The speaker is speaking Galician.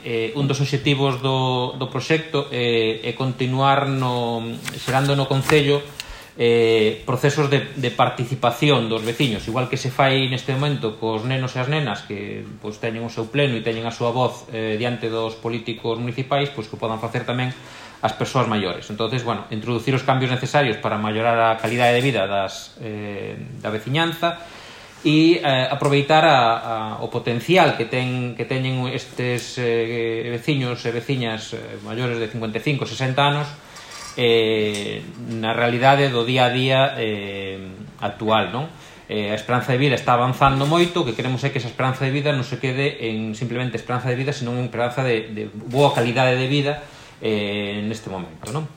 Un dos obxectivos do proxecto é continuar xerando no Concello procesos de participación dos veciños, igual que se fai neste momento cos nenos e as nenas que teñen o seu pleno e teñen a súa voz diante dos políticos municipais, que o podan facer tamén as persoas maiores. Entonces, introducir os cambios necesarios para mellorar a calidade de vida da veciñanza e aproveitar o potencial que teñen estes veciños e veciñas maiores de 55, 60 anos na realidade do día a día actual, non? A esperanza de vida está avanzando moito, o que queremos é que esa esperanza de vida non se quede en simplemente esperanza de vida, senón en esperanza de boa calidade de vida neste momento, non?